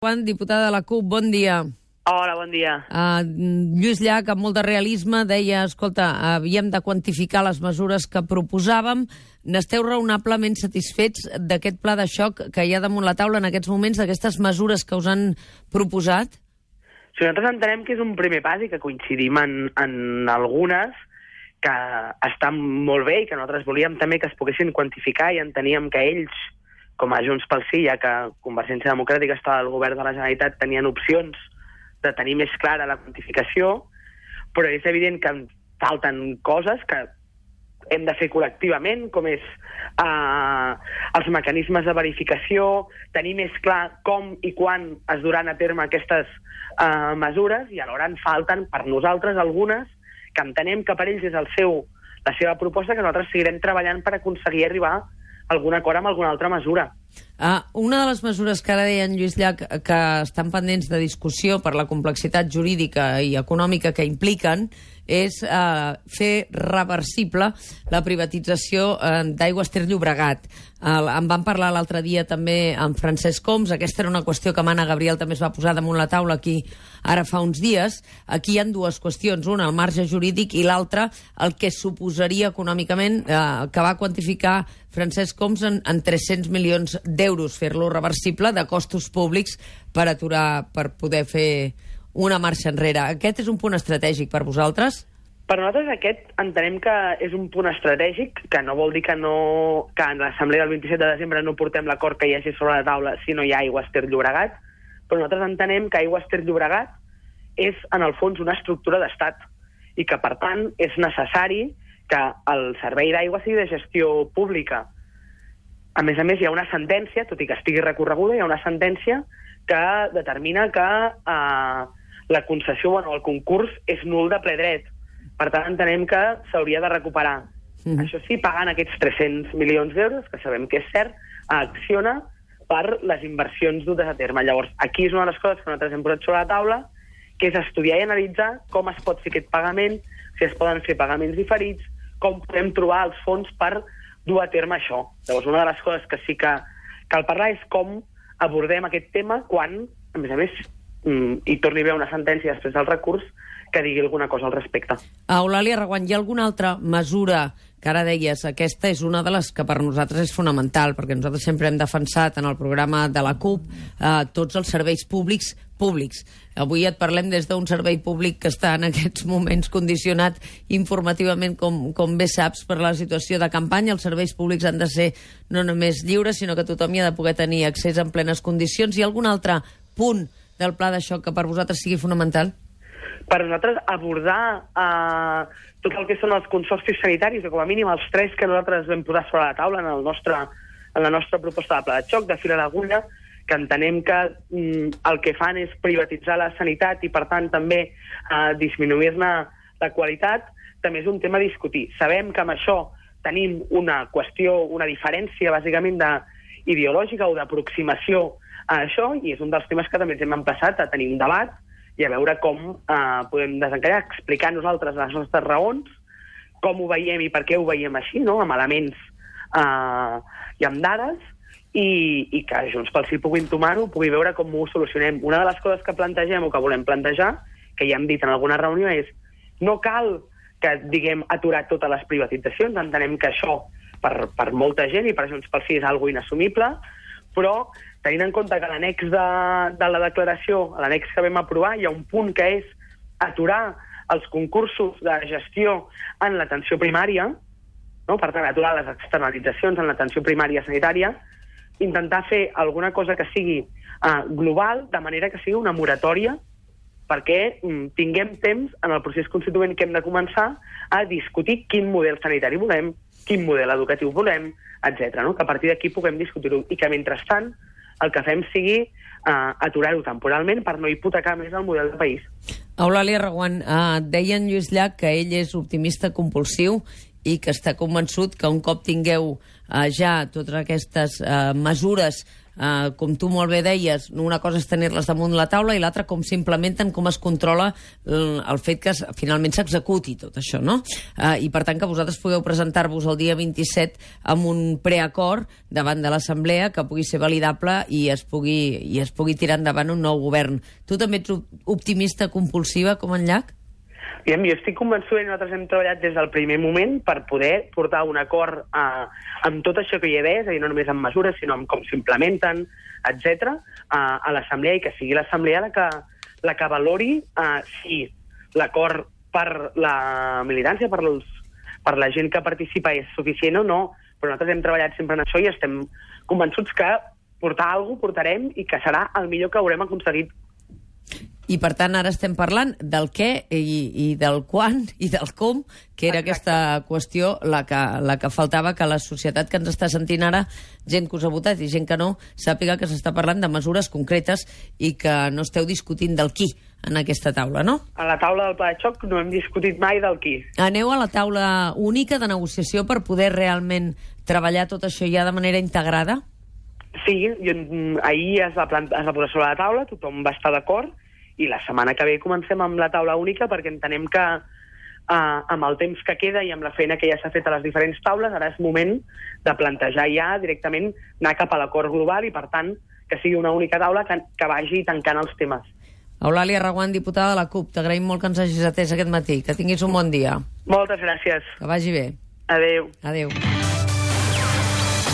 Juan, diputada de la CUP, bon dia. Hola, bon dia. Lluís Llach, amb molt de realisme, deia, escolta, havíem de quantificar les mesures que proposàvem. N'esteu raonablement satisfets d'aquest pla de xoc que hi ha damunt la taula en aquests moments, d'aquestes mesures que us han proposat? Sí, nosaltres entenem que és un primer pas i que coincidim en algunes que estan molt bé i que nosaltres volíem també que es poguessin quantificar i enteníem que ells, com a Junts pel Sí, ja que Convergència Democràtica estava al govern de la Generalitat, tenien opcions de tenir més clara la quantificació, però és evident que falten coses que hem de fer col·lectivament, com és els mecanismes de verificació, tenir més clar com i quan es duran a terme aquestes mesures, i alhora en falten per nosaltres algunes que entenem que per ells és la seva proposta, que nosaltres seguirem treballant per aconseguir arribar a algun acord amb alguna altra mesura. Una de les mesures que ara deia en Lluís Llach que estan pendents de discussió per la complexitat jurídica i econòmica que impliquen és fer reversible la privatització d'Aigües Ter Llobregat. En vam parlar l'altre dia també amb Francesc Homs. Aquesta era una qüestió que Mana Gabriel també es va posar damunt la taula aquí ara fa uns dies. Aquí hi ha dues qüestions, una el marge jurídic i l'altra el que suposaria econòmicament, que va quantificar Francesc Homs en 300 milions d'euros fer-lo reversible de costos públics per poder fer una marxa enrere. Aquest és un punt estratègic per vosaltres? Per nosaltres aquest entenem que és un punt estratègic, que no vol dir que en l'assemblea del 27 de desembre no portem l'acord que hi hagi sobre la taula si no hi ha Aigües Ter Llobregat, però nosaltres entenem que Aigües Ter Llobregat és, en el fons, una estructura d'estat i que, per tant, és necessari que el servei d'aigua sigui de gestió pública. A més, hi ha una sentència, tot i que estigui recorreguda, hi ha una sentència que determina que la concessió, el concurs, és nul de ple dret. Per tant, entenem que s'hauria de recuperar. Això sí, pagant aquests 300 milions d'euros, que sabem que és cert, a Acciona per les inversions dutes a terme. Llavors, aquí és una de les coses que nosaltres hem posat sobre la taula, que és estudiar i analitzar com es pot fer aquest pagament, si es poden fer pagaments diferits, com podem trobar els fons per dur a terme això. Llavors, una de les coses que sí que cal parlar és com abordem aquest tema quan, a més, hi torni a haver una sentència després del recurs que digui alguna cosa al respecte. Eulàlia Reguant, hi ha alguna altra mesura que ara deies, aquesta és una de les que per nosaltres és fonamental, perquè nosaltres sempre hem defensat en el programa de la CUP tots els serveis públics. Avui et parlem des d'un servei públic que està en aquests moments condicionat informativament, com bé saps, per la situació de campanya. Els serveis públics han de ser no només lliures, sinó que tothom hi ha de poder tenir accés en plenes condicions. Hi ha algun altre punt del pla de xoc que per vosaltres sigui fonamental? Per nosaltres abordar tot el que són els consorcis sanitaris, o com a mínim els 3 que nosaltres vam posar sobre la taula en la nostra proposta de pla de xoc, de fil a l'agulla, que entenem que el que fan és privatitzar la sanitat i, per tant, també disminuir-ne la qualitat, també és un tema a discutir. Sabem que amb això tenim una qüestió, una diferència, bàsicament, ideològica o d'aproximació a això, i és un dels temes que també ens hem empassat a tenir un debat i a veure com podem desencallar, explicar nosaltres les nostres raons, com ho veiem i per què ho veiem així, no? Amb elements i amb dades, i que Junts pel Sí pugui entomar-ho, pugui veure com ho solucionem. Una de les coses que plantegem o que volem plantejar, que ja hem dit en alguna reunió, és no cal que diguem aturar totes les privatitzacions, entenem que això per molta gent i per Junts pel Sí és algo inassumible, però tenint en compte que a l'annex de la declaració, a l'annex que vam aprovar, hi ha un punt que és aturar els concursos de gestió en l'atenció primària, no? Per tant, aturar les externalitzacions en l'atenció primària sanitària, intentar fer alguna cosa que sigui global, de manera que sigui una moratòria, perquè tinguem temps en el procés constituent que hem de començar a discutir quin model sanitari volem, quin model educatiu volem, etc. No? Que a partir d'aquí puguem discutir-ho i que, mentrestant, el que fem sigui aturar-ho temporalment per no hipotecar més el model de país. Eulàlia Reguant, deia en Lluís Llach que ell és optimista compulsiu i que està convençut que un cop tingueu ja totes aquestes mesures com tu molt bé deies, una cosa és tenir-les damunt la taula i l'altra com s'implementen, com es controla el fet que finalment s'executi tot això, no? I per tant que vosaltres pugueu presentar-vos el dia 27 amb un preacord davant de l'Assemblea que pugui ser validable i es pugui tirar endavant un nou govern. Tu també ets optimista compulsiva com en Llach? Jo estic convençuda i nosaltres hem treballat des del primer moment per poder portar un acord amb tot això que hi ha d'haver, és a dir, no només amb mesures, sinó amb com s'implementen, etc., a l'Assemblea, i que sigui l'Assemblea la que valori si l'acord per la militància, per la gent que participa és suficient o no, però nosaltres hem treballat sempre en això i estem convençuts que portar alguna cosa portarem i que serà el millor que haurem aconseguit. I, per tant, ara estem parlant del què i del quan i del com, que era aquesta qüestió la que faltava, que la societat que ens està sentint ara, gent que us ha votat i gent que no, sàpiga que s'està parlant de mesures concretes i que no esteu discutint del qui en aquesta taula, no? A la taula del pla de xoc no hem discutit mai del qui. Aneu a la taula única de negociació per poder realment treballar tot això ja de manera integrada? Sí, ahir es va posar sobre la taula, tothom va estar d'acord, i la setmana que ve comencem amb la taula única perquè entenem que amb el temps que queda i amb la feina que ja s'ha fet a les diferents taules, ara és moment de plantejar ja directament anar cap a l'acord global i, per tant, que sigui una única taula que vagi tancant els temes. Eulàlia Reguant, diputada de la CUP, t'agraïm molt que ens hagis atès aquest matí. Que tinguis un bon dia. Moltes gràcies. Que vagi bé. Adéu. Adéu.